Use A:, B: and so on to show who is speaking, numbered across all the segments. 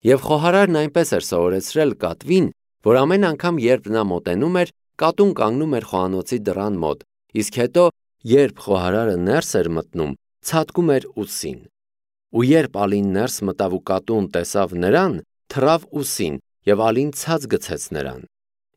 A: Եվ խոհարարն այնպես էր սովորեցրել կատվին, որ ամեն անգամ, երբ նա մոտենում էր, կատուն կանգնում էր խոհանոցի դռան մոտ, իսկ հետո, երբ խոհարարը ներս էր մտնում, ցատկում էր ուսին։ Ու երբ Ալին ներս մտավ ու կատուն տեսավ նրան, թռավ ուսին, եւ Ալին ցած գցեց նրան։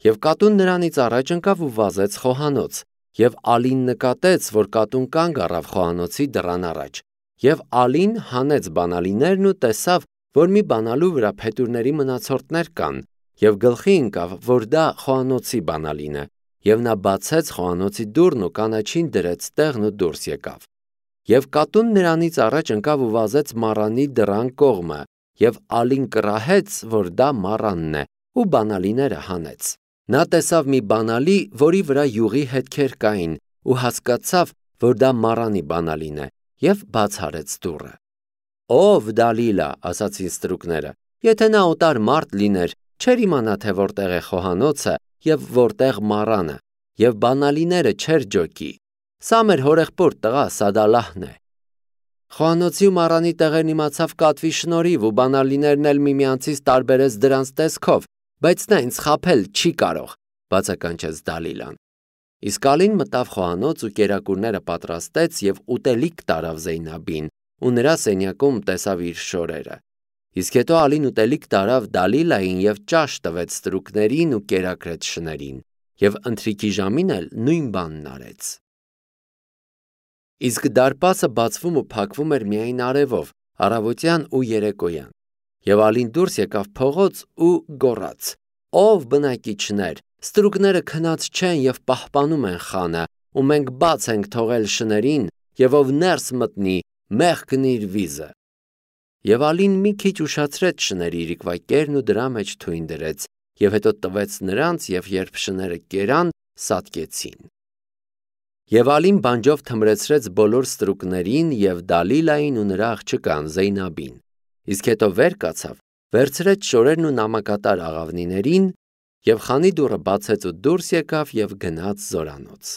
A: Եվ կատուն նրանից առաջ ընկավ ու վազեց խոհանոց, եւ Ալին նկատեց, որ կատուն կանգ առավ խոհանոցի դռան առաջ, եւ Ալին հանեց բանալիներն ու տեսավ, որ մի բանալու վրա փետուրների մնացորդներ կան, եւ գլխի ընկավ, որ դա խոհանոցի բանալին է, եւ նա բացեց խոհանոցի դուռն ու կանաչին դրեց տեղն ու դուրս եկավ։ Եվ կատուն նրանից առաջ ընկավ ու վազեց մառանի դռան կողմը, եւ Ալին կռահեց, որ դա մառանն է, ու բանալիները հանեց։ Նա տեսավ մի բանալի, որի վրա յուղի հետքեր կային, ու հասկացավ, որ դա մառանի բանալին է, եւ բաց արեց դուռը։ Ով Դալիլա, ասացին ստրուկները, եթե նա օտար մարդ լիներ, չէր իմանա, թե որտեղ է խոհանոցը եւ որտեղ մառանը, եւ բանալիները չէր ջոկի։ Սա մեր հորեղբոր տղա Սադալահն է։ Խոհանոցի ու մառանի տեղերն իմացավ կատվի շնորհիվ ու բանալիներն էլ միմյանցից տարբերեց դրանց տեսքով, բայց նա ինձ խաբել չի կարող, բացականչեց Դալիլան։ Իսկ Ալին մտավ խոհանոց ու կերակուրները պատրաստեց եւ ուտելիք տարավ Զեյնաբին, ու նրա սենյակում տեսավ իր շորերը։ Իսկ հետո Ալին ուտելիք տարավ Դալիլային եւ ճաշ տվեց ստրուկներին ու կերակրեց շներին, եւ ընթրիքի ժամին էլ նույն բանն արեց։ Իսկ դարպասը բացվում ու փակվում էր միայն արևով, առավոտյան ու երեկոյան։ Եվ Ալին դուրս եկավ փողոց ու գոռաց. «Ով բնակիչներ, ստրուկները քնած չեն եւ պահպանում են խանը, ու մենք բաց ենք թողել շներին, եւ ով ներս մտնի, մեղքն իր վիզը»։ Եվ Ալին մի քիչ ուշացրեց շների իրիկվայկերն ու դրա մեջ թույն դրեց, եւ հետո տվեց նրանց, եւ երբ շները կերան, սատկեցին։ Եվ Ալին բանջով թմրեցրեց բոլոր ստրուկներին եւ Դալիլային ու նրա աղջկան Զեյնաբին, իսկ հետո վեր կացավ, վերցրեց շորերն ու նամակատար աղավնիներին, եւ խանի դուռը բացեց ու դուրս եկավ եւ գնաց զորանոց։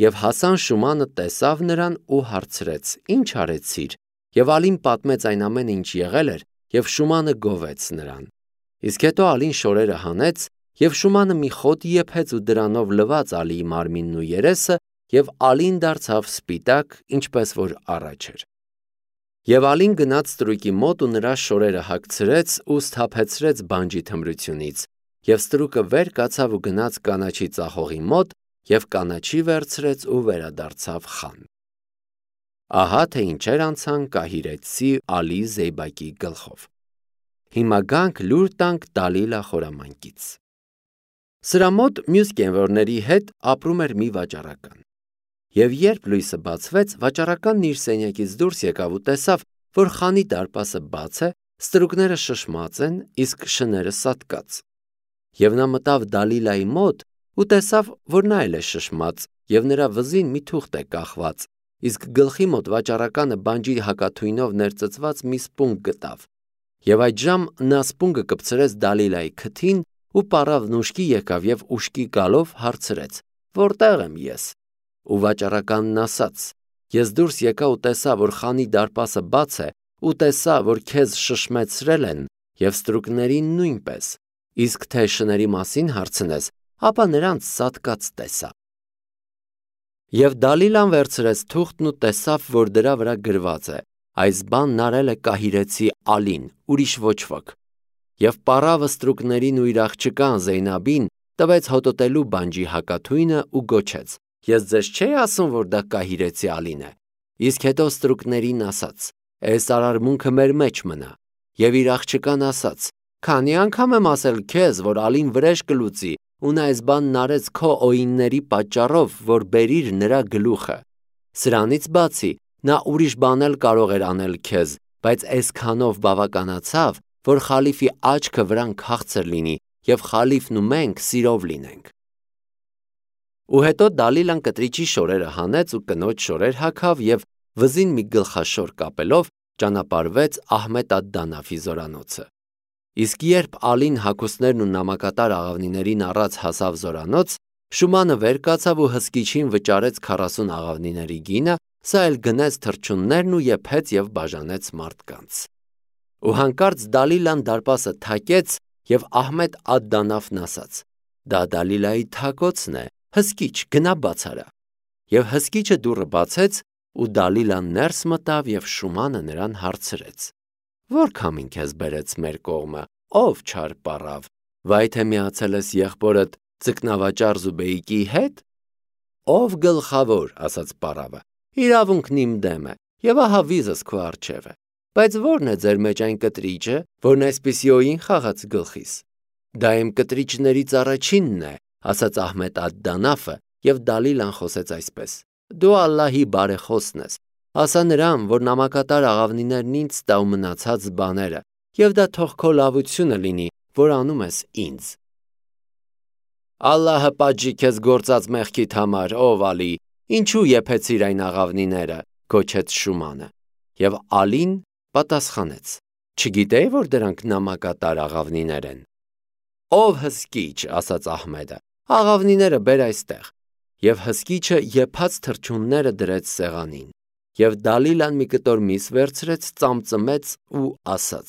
A: Եվ Հասան Շումանը տեսավ նրան ու հարցրեց. «Ինչ արեցիր»։ Եվ Ալին պատմեց այն ամենը, ինչ եղել էր, եւ Շումանը գովեց նրան։ Իսկ հետո Ալին շորերը հանեց, եւ Շումանը մի խոտ եփեց ու դրանով լվաց Ալիի մարմինն ու երեսը, եւ Ալին դարձավ սպիտակ, ինչպես որ առաջ էր։ Եվ Ալին գնաց ստրուկի մոտ ու նրա շորերը հագցրեց ու սթափեցրեց բանջի թմրությունից, եւ ստրուկը վեր կացավ ու գնաց կանաչի ծախողի մոտ, եւ կանաչի վերցրեց ու վերադարձավ խան։ Ահա թե ինչեր անցան կահիրեցի Ալի Զեյբակի գլխով։ Հիմա գանք լուր տանք Դալիլա խորամանկից։ Սրա մոտ մյուս կենվորների հետ ապրում էր մի վաճառական։ Եվ երբ լույսը բացվեց, վաճառականն իր սենյակից դուրս եկավ ու տեսավ, որ խանի դարպասը բաց է, ստրուկները շշմած են, իսկ շները սատկած։ Եվ նա մտավ Դալիլայի մոտ ու տեսավ, որ նա էլ է շշմած, եւ նրա վզին մի թուղթ է կախված, իսկ գլխի մոտ վաճառականը բանջի հակաթույնով ներծծված մի սպունգ գտավ։ Եվ այդժամ նա սպունգը կպցրեց Դալիլայի քթին ու պառավն ուշքի եկավ եւ ուշքի գալով հարցրեց. «Որտեղ եմ ես»։ Ու վաճառականն ասաց. «Ես դուրս եկա ու տեսա, որ խանի դարպասը բաց է, ու տեսա, որ քեզ շշմեցրել են եւ ստրուկներին նույնպես, իսկ թե շների մասին հարցնես, ապա նրանց սատկած տեսա»։ Եվ Դալիլան վերցրեց թուղթն ու տեսավ, որ դրա վրա գրված է. «Այս բանն արել է կահիրեցի Ալին, ուրիշ ոչ ոք»։ Եվ պառավը ստրուկներին ու իր աղջկան Զեյնաբին տվեց հոտոտելու բանջի հակաթույնը ու գոչեց. «Ես ձեզ չէի ասում, որ դա կահիրեցի Ալին է»։ Իսկ հետո ստրուկներին ասաց. «Այս արարմունքը մեր մեջ մնա»։ Եվ իր աղջկան ասաց. «Քանի անգամ եմ ասել քեզ, որ Ալին վրեժ կլուծի, ու նա այս բանն արեց քո օինների պատճառով, որ բերիր նրա գլուխը։ Սրանից բացի, նա ուրիշ բան էլ կարող էր անել քեզ, բայց այսքանով բավականացավ, որ խալիֆի աչքը վրան քաղցր լինի, եւ խալիֆն ու մենք սիրով լինենք»։ Ու հետո Դալիլան կտրիճի շորերը հանեց ու կնոջ շորեր հագավ եւ վզին մի գլխաշոր կապելով ճանապարհվեց Ահմեդ ալ-Դանաֆի զորանոցը։ Իսկ երբ Ալին հագուստներն ու նամակատար աղավնիներին առած հասավ զորանոց, Շումանը վեր կացավ ու հսկիչին վճարեց 40 աղավնիների գինը, սա էլ գնեց թռչուններն ու եփեց եւ բաժանեց մարդկանց։ Ու հանկարծ Դալիլան դարպասը թակեց և Ահմեդ ադդանաֆն ասաց. «Դա Դալիլայի թակոցն է, հսկիչ, գնա բաց արա»։ Եվ հսկիչը դուռը բացեց, ու Դալիլան ներս մտավ և Շումանը նրան հարցրեց. «Ո՞ր քամին քեզ բերեց մեր կողմը, ով չար պառավ, վայ թե միացել ես եղբորդ ձկնավաճառ Զուբեյկի հետ»։ «Ով գլխավոր», ասաց պառավը, «իրավունքն իմ դեմ է, և ահա վիզս քո առջև է, բայց ո՞րն է ձեր մեջ այն կտրիճը, որն այսպիսի օին խաղաց գլխիս»։ «Դա իմ կտրիճներից առաջինն է», ասաց Ահմեդ ադդանաֆը, և Դալիլան խոսեց այսպես. «Դու Ալլահի բարեխոսն ես, ասա նրան, որ նամակատար աղավնիներն ինձ տա ու մնացած բաները, և դա թող քո լավությունը լինի, որ անում ես ինձ»։ «Ալլահը պատժի քեզ գործած մեղքիդ համար, ով Ալի, ինչու եփեցիր այն աղավնիները», գոչեց Շումանը։ Եվ Ալին պատասխանեց. «Չգիտեի, որ դրանք նամակատար աղավնիներ են»։ «Ով հսկիչ», ասաց Ահմեդը, «աղավնիները բեր այստեղ»։ Եվ հսկիչը եփած թռչունները դրեց սեղանին։ Եվ Դալիլան մի կտոր միս վերցրեց, ծամծմեց ու ասաց.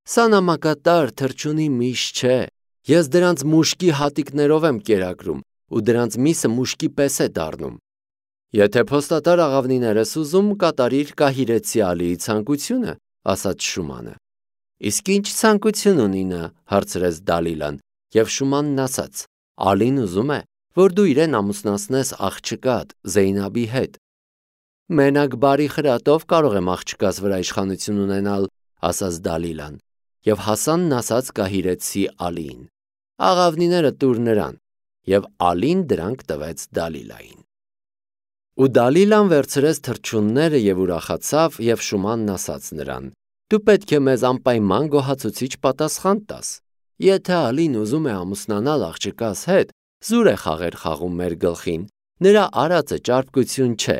A: «Սա նամակատար թռչունի միս չէ, ես դրանց մուշկի հատիկներով եմ կերակրում, ու դրանց միսը մուշկի պես է դառնում»։ «Եթե փոստատար աղավնիներ ես ուզում, կատարիր Կահիրեցի Ալիի ցանկությունը», ասաց Շումանը։ «Իսկ ինչ ցանկություն ունի նա», հարցրեց Դալիլան, և Շումանն ասաց. «Ալին ուզում է, որ դու իրեն ամուսնացնես աղջկադ Զեյնաբի հետ»։ «Մենակ բարի խրատով կարող եմ աղջկաս վրա իշխանություն ունենալ», ասաց Դալիլան, և Հասանն ասաց Կահիրեցի Ալիին. «Աղավնիները տուր նրան», և Ալին դրանք տվեց Դալիլային։ Ու Դալիլան վերցրեց թռչունները և ուրախացավ, և Շումանն ասաց նրան. «Դու պետք է մեզ անպայման գոհացուցիչ պատասխան տաս։ Եթե Ալին ուզում է ամուսնանալ աղջկաս հետ, զուր է խաղեր խաղում մեր գլխին, նրա արածը ճարպկություն չէ»,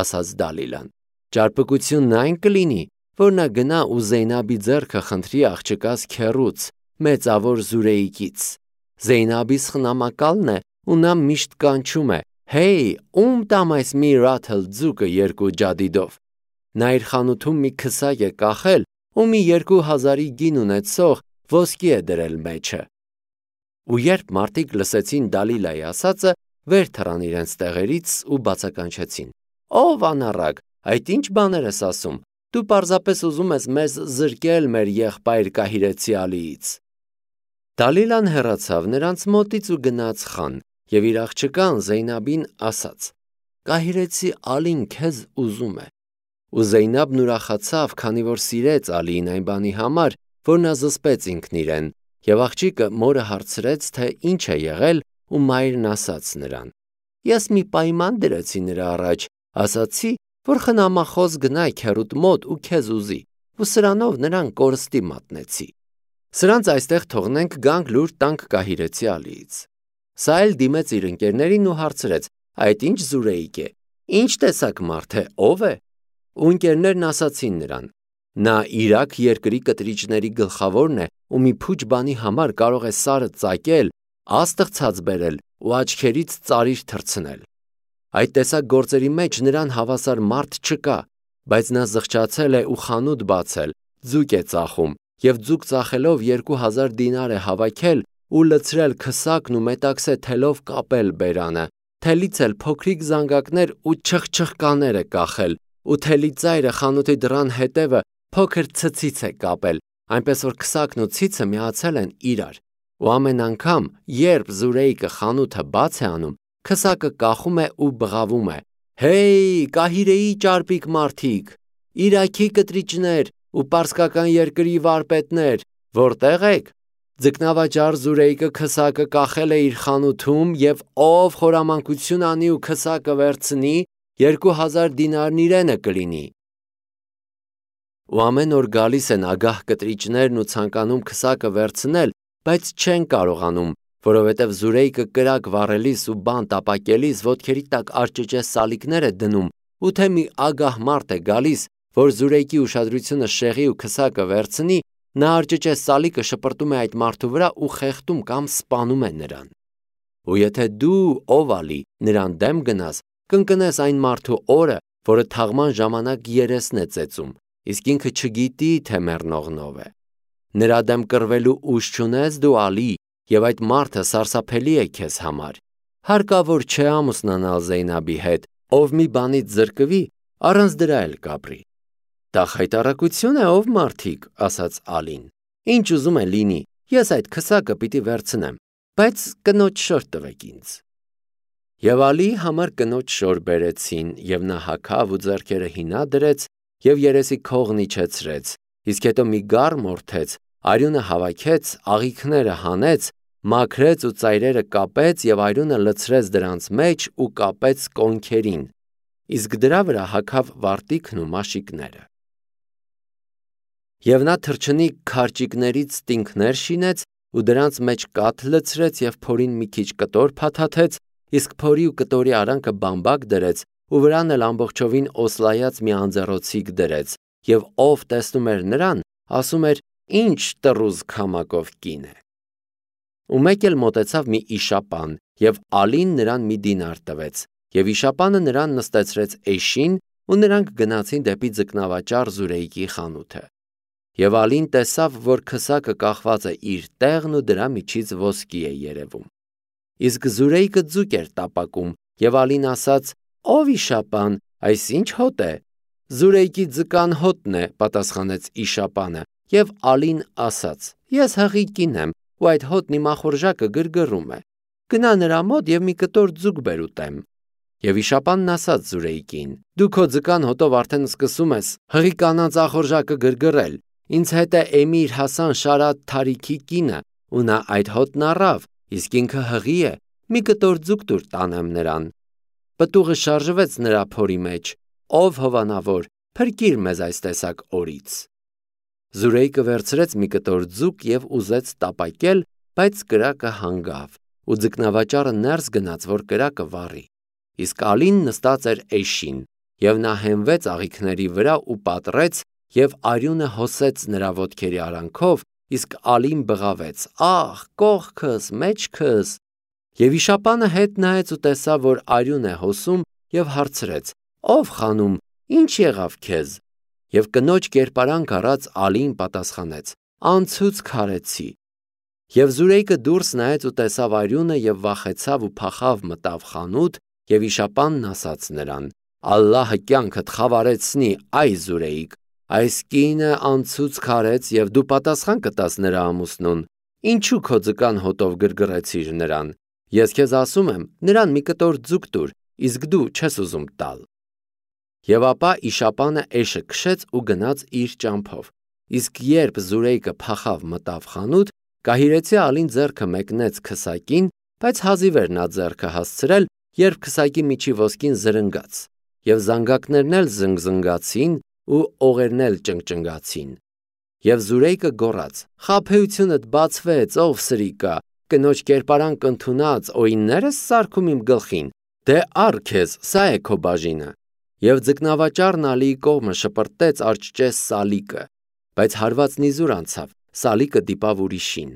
A: ասաց Դալիլան։ «Ճարպկությունն այն կլինի, որ նա գնա ու Զեյնաբի ձեռքը խնդրի աղջկաս քեռուց, մեծավոր Զուրեյկից։ Զեյնաբի սխնամակալն է, ու նա միշտ կանչում է. «Հեյ, ում տամ այս մի ռաթլ ձուկը 2 ջադիդով»։ Նա իր խանութում մի քսակ է կախել ու մի 2000-ի գին ունեցող ոսկի է դրել մեջը»։ Ու երբ մարդիկ լսեցին Դալիլայի ասածը, վեր թռան իրենց տեղերից ու բացականչեցին. «Ով անառակ, այդ ինչ բաներ ես ասում, դու պարզապես ուզում ես մեզ զրկել մեր եղբայր Կահիրեցի Ալիից»։ Դալիլան հեռացավ նրանց մոտից ու գնաց խան, և իր աղջկան Զեյնաբին ասաց. «Կահիրեցի Ալին քեզ ուզում է»։ Ու Զեյնաբն ուրախացավ, քանի որ սիրեց Ալիին այն բանի համար, որ նա զսպեց ինքն իրեն, և աղջիկը մորը հարցրեց, թե ինչ է եղել, ու մայրն ասաց նրան. «Ես մի պայման դրեցի նրա առաջ, ասացի, որ խնամախոս գնա քեռուդ մոտ ու քեզ ուզի, ու սրանով նրան կորստի մատնեցի։ Սրանց այստեղ թողնենք, գանք լուր տանք Կահիրեցի Ալիից»։ Սա էլ դիմեց իր ընկերներին ու հարցրեց. «Այդ ինչ Զուրեյկ է, ինչ տեսակ մարդ է, ով է»։ Ու ընկերներն ասացին նրան. «Նա Իրաք երկրի կտրիճների գլխավորն է ու մի փուչ բանի համար կարող է սարը ծակել, աստղ ցած բերել ու աչքերից ծարիր թռցնել։ Այդ տեսակ գործերի մեջ նրան հավասար մարդ չկա, բայց նա զղջացել է ու խանութ բացել, ձուկ է ծախում, և ձուկ ծախելով 2000 դինար է հավաքել ու լցրել քսակն ու մետաքսե թելով կապել բերանը, թելից էլ փոքրիկ զանգակներ ու չխչխկաներ է կախել, ու թելի ծայրը խանութի դռան հետևը փոքր ցցից է կապել, այնպես որ քսակն ու ցիցը միացել են իրար։ Ու ամեն անգամ, երբ Զուրեյկը խանութը բաց է անում, քսակը կախում է ու բղավում է. «Հեյ, Կահիրեի ճարպիկ մարդիկ, Իրաքի կտրիճներ ու պարսկական երկրի վարպետներ, որտե՞ղ եք։ Ձկնավաճառ Զուրեյկը քսակը կախել է իր խանութում, և ով խորամանկություն անի ու քսակը վերցնի, 2000 դինարն իրենը կլինի»։ Ու ամեն օր գալիս են ագահ կտրիճներն ու ցանկանում քսակը վերցնել, բայց չեն կարողանում, որովհետև Զուրեյկը կրակ վառելիս ու բան տապակելիս ոտքերի տակ արճճե սալիկներ է դնում, ու թե մի ագահ մարդ է գալիս, որ Զուրեյկի ուշադրությունը շեղի ու քսակը վերցնի, նա արճճե սալիկը շպրտում է այդ մարդու վրա ու խեղդում կամ սպանում է նրան։ Ու եթե դու, ով Ալի, նրան դեմ գնաս, կընկնես այն մարդու օրը, որը թաղման ժամանակ երեսն է ծեծում, իսկ ինքը չգիտի, թե մեռնողն ով է։ Նրա դեմ կռվելու ուժ չունես դու Ալի, եւ այդ մարդը սարսափելի է քեզ համար։ Հարկավոր չէ ամուսնանալ Զեյնաբի հետ, ով մի բանից զրկվի, առանց դրա էլ կապրի։ Դա խայտառակություն է, ով մարդիկ, ասաց Ալին։ Ինչ ուզում է լինի, ես այդ քսակը պիտի վերցնեմ, բայց կնոջ շոր տվեք ինձ։ Եվ Ալիի համար կնոջ շոր բերեցին, եւ նա հագավ ու ձեռքերը հինա դրեց եւ երեսի քողն իջեցրեց, իսկ հետո մի գառ մորթեց, արյունը հավաքեց, աղիքները հանեց, մաքրեց ու ծայրերը կապեց եւ արյունը լցրեց դրանց մեջ ու կապեց կոնքերին, իսկ դրա վրա հագավ վարտիքն ու մաշիկները։ Եվ նա թռչնի քարճիկներից տինքներ շինեց ու դրանց մեջ կաթ լցրեց եւ փորին մի քիչ կտոր փաթաթեց, իսկ փորի ու կտորի արանքը բամբակ դրեց ու վրան էլ ամբողջովին օսլայած մի անձեռոցիկ դրեց, եւ ով տեսնում էր նրան, ասում էր. ինչ տռուզ քամակով կին է։ Ու մեկ էլ մոտեցավ մի իշապան, եւ Ալին նրան մի դինար տվեց, եւ իշապանը նրան նստեցրեց էշին, ու նրանք գնացին դեպի ձկնավաճառ Զուրեյկի խանութը։ Եվ Ալին տեսավ, որ քսակը կախված է իր տեղն ու դրա միջից ոսկի է երևում։ Իսկ Զուրեյկը ձուկ էր տապակում, եւ Ալին ասաց. «Ով իշապան, այս ինչ հոտ է»։ «Զուրեյկի ձկան հոտն է», պատասխանեց իշապանը, եւ Ալին ասաց. «Ես հղի կին եմ, ու այդ հոտն իմ ախորժակը գրգռում է։ Գնա նրա մոտ եւ մի կտոր ձուկ բեր ուտեմ»։ Եվ իշապանն ասաց Զուրեյկին. «Դու քո ձկան հոտով արդեն սկսում ես հղի կանանց ախորժակը գրգռել։ Ինձ հետ է Էմիր Հասան Շարադ Թարիքի կինը, ու նա այդ հոտն առավ, իսկ ինքը հղի է, մի կտոր ձուկ տուր տանեմ նրան»։ Պտուղը շարժվեց նրա փորի մեջ. «Ով հովանավոր, փրկիր մեզ այս տեսակ օրից»։ Զուրեյկը վերցրեց մի կտոր ձուկ եւ ուզեց տապակել, բայց կրակը հանգավ, ու ձկնավաճառը ներս գնաց, որ կրակը վառի։ Իսկ Ալին նստած էր էշին, եւ նա հենվեց աղիքների վրա ու պատռեց, եւ արյունը հոսեց նրա ոտքերի արանքով, իսկ Ալին բղավեց. «Ահ, կողքս, մեջքս»։ Եվ իշապանը հետ նայեց ու տեսավ, որ արյուն է հոսում, եւ հարցրեց. «Ով խանում, ինչ եղավ քեզ»։ Եվ կնոջ կերպարանք առած Ալին պատասխանեց. «Անցուց քարեցի»։ Եվ Զուրեյկը դուրս նայեց ու տեսավ արյունը եւ վախեցավ ու փախավ մտավ խանութ, եւ իշապանն ասաց նրան. «Ալլահը կյանքդ խավարեցնի, այ Զուրեյկ, այս կինը անցուց քարեց եւ դու պատասխան կտաս նրա ամուսնուն։ Ինչու քո ձկան հոտով գրգռեցիր նրան։ Ես քեզ ասում եմ, նրան մի կտոր ձուկ տուր, իսկ դու չես ուզում տալ»։ Եվ ապա իշապանը էշը քշեց ու գնաց իր ճամփով, իսկ երբ Զուրեյկը փախավ մտավ խանութ, կահիրեցի Ալին ձեռքը մեկնեց քսակին, բայց հազիվ էր նա ձեռքը հասցրել, երբ քսակի միջի ոսկին զրնգաց, եւ զանգակներն էլ զնգզնգացին ու օղերն էլ ճնգճնգացին։ Եվ Զուրեյկը գոռաց. «Խաբեությունդ բացվեց, ով սրիկա, կնոջ կերպարանք ընդունած օիններս սարքում իմ գլխին, դե առ քեզ, սա է քո բաժինը»։ Եվ ձկնավաճառն Ալիի կողմը շպրտեց արջճես սալիկը, բայց հարվածն իզուր անցավ, սալիկը դիպավ ուրիշին։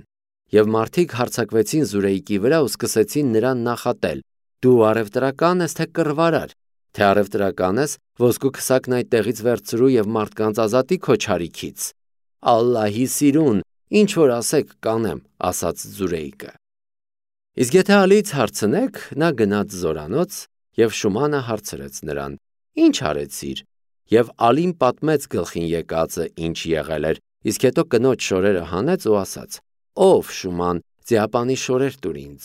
A: Եվ մարդիկ հարձակվեցին Զուրեյկի վրա ու սկսեցին նրան նախատել. «Դու առևտրական ես, թե կռվարար, թե առևտրական ես, ոսկու քսակն այդտեղից վերցրու եւ մարդկանց ազատի քո չարիքից»։ «Ալլահի սիրուն, ինչ որ ասեք կանեմ», ասաց Զուրեյկը։ Իսկ եթե Ալիից հարցնեք, նա գնաց զորանոց, եւ Շումանը հարցրեց նրան. «Ինչ արեցիր»։ Եվ Ալին պատմեց գլխին եկածը, ինչ եղել էր, իսկ հետո կնոջ շորերը հանեց ու ասաց. «Ով Շուման, ձիապանի շորեր տուր ինձ»։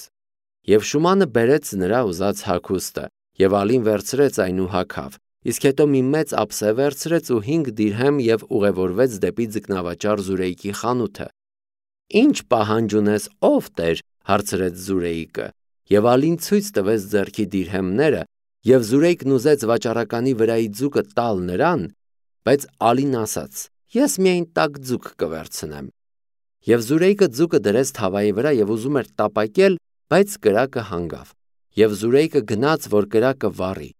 A: Եվ Շումանը բերեց նրա ուզած հագուստը, եւ Ալին վերցրեց այն ու հագավ, իսկ հետո մի մեծ ափսե վերցրեց ու 5 դիրհեմ եւ ուղևորվեց դեպի ձկնավաճառ Զուրեյկի խանութը։ «Ինչ պահանջ ունես, ով Տեր», հարցրեց Զուրեյկը, եւ Ալին ցույց տվեց ձեռքի դիրհեմները, եւ Զուրեյկն ուզեց վաճառականի վրայի ձուկը տալ նրան, բայց Ալին ասաց. «Ես միայն տաք ձուկ կվերցնեմ»։ Եվ Զուրեյկը ձուկը դրեց թավայի վրա եւ ուզում էր տապակել, բայց կրակը հանգավ, եւ Զուրեյկը գնաց, որ կրակը վառի։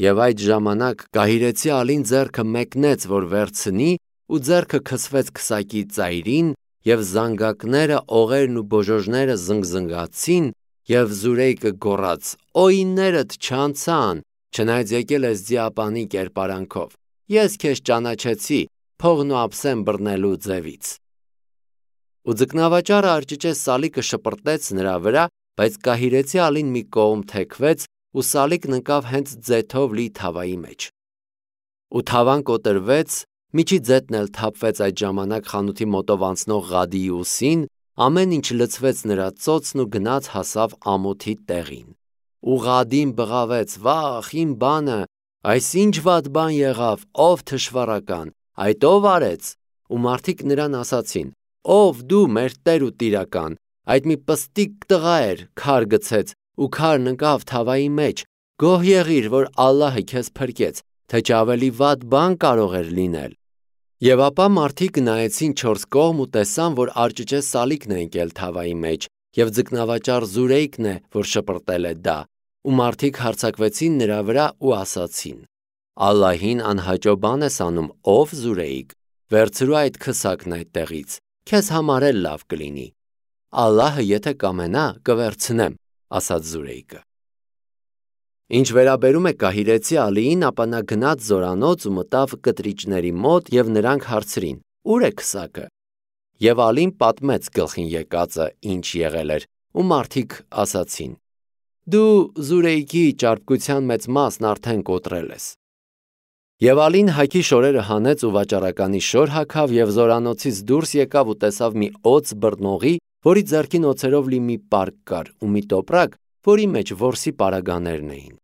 A: Եվ այդ ժամանակ կահիրեցի Ալին ձեռքը մեկնեց, որ վերցնի, ու ձեռքը քսվեց քսակի ծայրին, եւ զանգակները, օղերն ու բոժոժները զնգզնգացին, եւ Զուրեյկը գոռաց. «Օիններդ չանցան, չնայած եկել ես ձիապանի կերպարանքով։ Ես քեզ ճանաչեցի, փողն ու ափսեն բռնելու ձևից։ Ու ձկնավաճառը արճիճե սալիկը շպրտեց նրա վրա, բայց կահիրեցի ալին մի կողմ թեքվեց ու սալիկն ընկավ հենց ձեթով լի թավայի մեջ։ Ու թավան կոտրվեց, միջի ձետն էլ թափվեց այդ ժամանակ խանութի մոտով անցնող Ղադիի ուսին, ամեն ինչ լցվեց նրա ծոցն ու գնաց հասավ ամոթի տեղին։ Ու Ղադին բղավեց. «Վախ, իմ բանը, այս ինչ վատ բան եղավ, ով թշվառական, այդ ով արեց»։ Ու մարդիկ նրան ասացին. «Ով դու, մեր Տեր ու Տիրական, այդ մի պստիկ տղա էր, քար գցեց ու քարն ընկավ թավայի մեջ, գոհ եղիր, որ Ալլահը քեզ փրկեց, թե չէ ավելի վատ բան կարող էր լինել»։ Եվ ապա մարդիկ նայեցին չորս կողմ ու տեսան, որ արճիճե սալիկն է ընկել թավայի մեջ, եւ ձկնավաճառ Զուրեյկն է, որ շպրտել է դա, ու մարդիկ հարձակվեցին նրա վրա ու ասացին. «Ալլահին անհաճո բան ես անում, ով Զուրեյկ, վերցրու այդ քսակն այդտեղից, քեզ համար էլ լավ կլինի»։ «Ալլահը եթե կամենա, կվերցնեմ», ասաց Զուրեյկը։ Ինչ վերաբերում է կահիրեցի ալիին, ապա նա գնաց զորանոց ու մտավ կտրիճների մոտ եւ նրանք հարցրին. «Ուր է քսակը»։ Եվ ալին պատմեց գլխին եկածը, ինչ եղել էր, ու մարդիկ ասացին. «Դու Զուրեյկի ճարպկության մեծ մասն արդեն կոտրել ես»։ Եվ ալին հագի շորերը հանեց ու վաճառականի շոր հագավ եւ զորանոցից դուրս եկավ ու տեսավ մի օձ բռնողի, որի ձեռքին օձերով լի մի պարկ կար ու մի տոպրակ, որի մեջ որսի պարագաներն էին։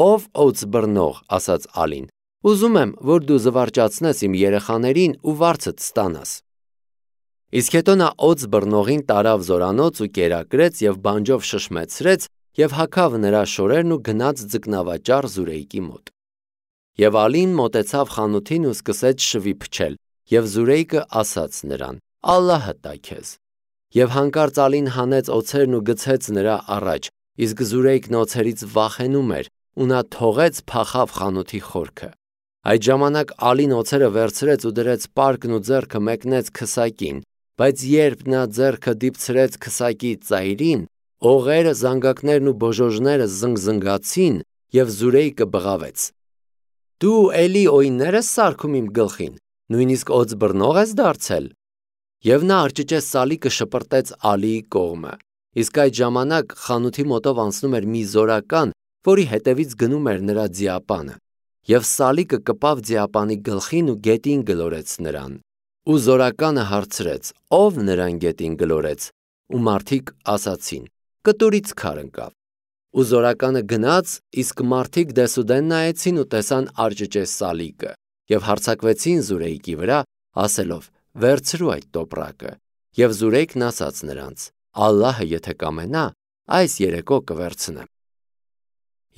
A: «Ով օձ բռնող», ասաց ալին, «ուզում եմ, որ դու զվարճացնես իմ երեխաներին ու վարձդ ստանաս»։ Իսկ հետո նա օձ բռնողին տարավ զորանոց ու կերակրեց եւ բանջով շշմեցրեց եւ հագավ նրա շորերն ու գնաց ձկնավաճառ Զուրեյկի մոտ։ Եվ ալին մոտեցավ խանութին ու սկսեց շվի փչել, եւ Զուրեյկը ասաց նրան. «Ալլահը տա քեզ»։ Եվ հանկարծ ալին հանեց օձերն ու գցեց նրա առաջ, իսկ Զուրեյկն օձերից վախենում էր, ու նա թողեց փախավ խանութի խորքը։ Այդ ժամանակ ալին օձերը վերցրեց ու դրեց պարկն ու ձեռքը մեկնեց քսակին, բայց երբ նա ձեռքը դիպցրեց քսակի ծայրին, օղերը, զանգակներն ու բոժոժները զնգզնգացին, եւ Զուրեյկը բղավեց. «Դու էլի օյններ ես սարքում իմ գլխին, նույնիսկ օձ բռնող ես դարձել»։ Եվ նա արճիճե սալիկը շպրտեց ալիի կողմը, իսկ այդ ժամանակ խանութի մոտով անցնում էր մի զորական, որի հետևից գնում էր նրա ձիապանը, եւ սալիկը կպավ ձիապանի գլխին ու գետին գլորեց նրան։ Ու զորականը հարցրեց. «Ով նրան գետին գլորեց»։ Ու մարդիկ ասացին. «Կտուրից քար ընկավ»։ Ու զորականը գնաց, իսկ մարդիկ դեսուդեն նայեցին ու տեսան արճիճե սալիկը, եւ հարձակվեցին Զուրեյկի վրա, ասելով. «Վերցրու այդ տոպրակը»։ Եվ Զուրեյկն ասաց նրանց. «Ալլահը եթե կամենա, այս երեկո կվերցնեմ»։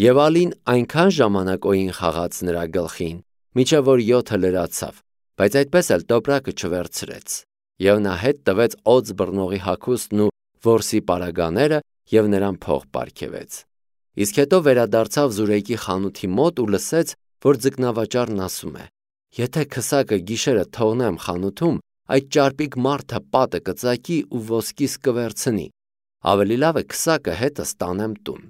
A: Եվ ալին այնքան ժամանակ օյին խաղաց նրա գլխին, մինչև որ 7-ը լրացավ, բայց այդպես էլ տոպրակը չվերցրեց։ Եվ նա հետ տվեց օձ բռնողի հագուստն ու որսի պարագաները եւ նրան փող պարգևեց։ Իսկ հետո վերադարձավ Զուրեյկի խանութի մոտ ու լսեց, որ ձկնավաճառն ասում է. «Եթե քսակը գիշերը թողնեմ խանութում, այդ ճարպիկ մարդը պատը կծակի ու ոսկիս կվերցնի, ավելի լավ է քսակը հետս տանեմ տուն»։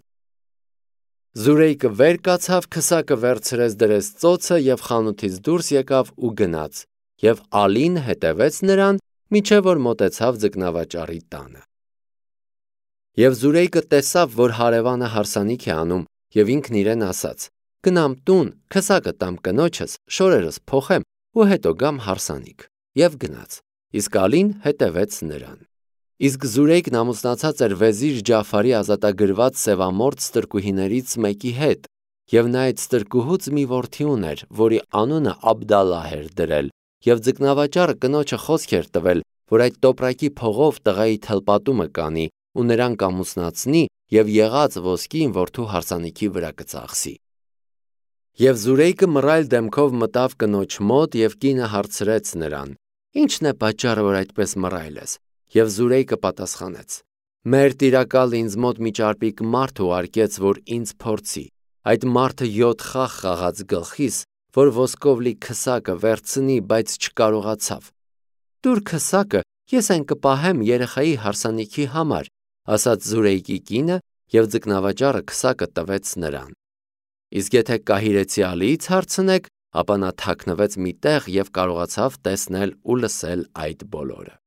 A: Զուրեյկը վեր կացավ, քսակը վերցրեց դրեց ծոցը եւ խանութից դուրս եկավ ու գնաց, եւ ալին հետևեց նրան, մինչև որ մոտեցավ ձկնավաճառի տանը։ Եվ Զուրեյկը տեսավ, որ հարևանը հարսանիք է անում, եւ ինքն իրեն ասաց. «Գնամ տուն, քսակը տամ կնոջս, շորերս փոխեմ ու հետո գամ հարսանիք»։ Եվ գնաց, իսկ ալին հետևեց նրան։ Իսկ Զուրեյկն ամուսնացած էր վեզիր Ջաֆարի ազատագրված սևամորթ ստրկուհիներից մեկի հետ, եւ նա այդ ստրկուհուց մի որդի ուներ, որի անունը Աբդալլահ էր դրել, եւ ձկնավաճառը կնոջը խոսք էր տվել, որ այդ տոպրակի փողով տղայի թլպատումը կանի ու նրան կամուսնացնի եւ եղած ոսկին որդու հարսանիքի վրա կծախսի։ Եվ Զուրեյկը մռայլ դեմքով մտավ կնոջ մոտ եւ կինը հարցրեց նրան. «Ի՞նչն է պատճառը, որ այդպես մռայլ ես»։ Եվ Զուրեյկը պատասխանեց. «Մեր տիրակալը ինձ մոտ մի ճարպիկ մարդ ուղարկեց, որ ինձ փորձի։ Այդ մարդը 7 խաղ խաղաց գլխիս, որ ոսկով լի քսակը վերցնի, բայց չկարողացավ։ Տուր քսակը, ես այն կպահեմ երեխայի հարսանիքի համար», ասաց Զուրեյկի կինը, եւ ձկնավաճառը քսակը տվեց նրան։ Իսկ եթե կահիրեցի ալիից հարցնեք, ապա նա թաքնվեց մի տեղ և կարողացավ տեսնել ու լսել այդ բոլորը։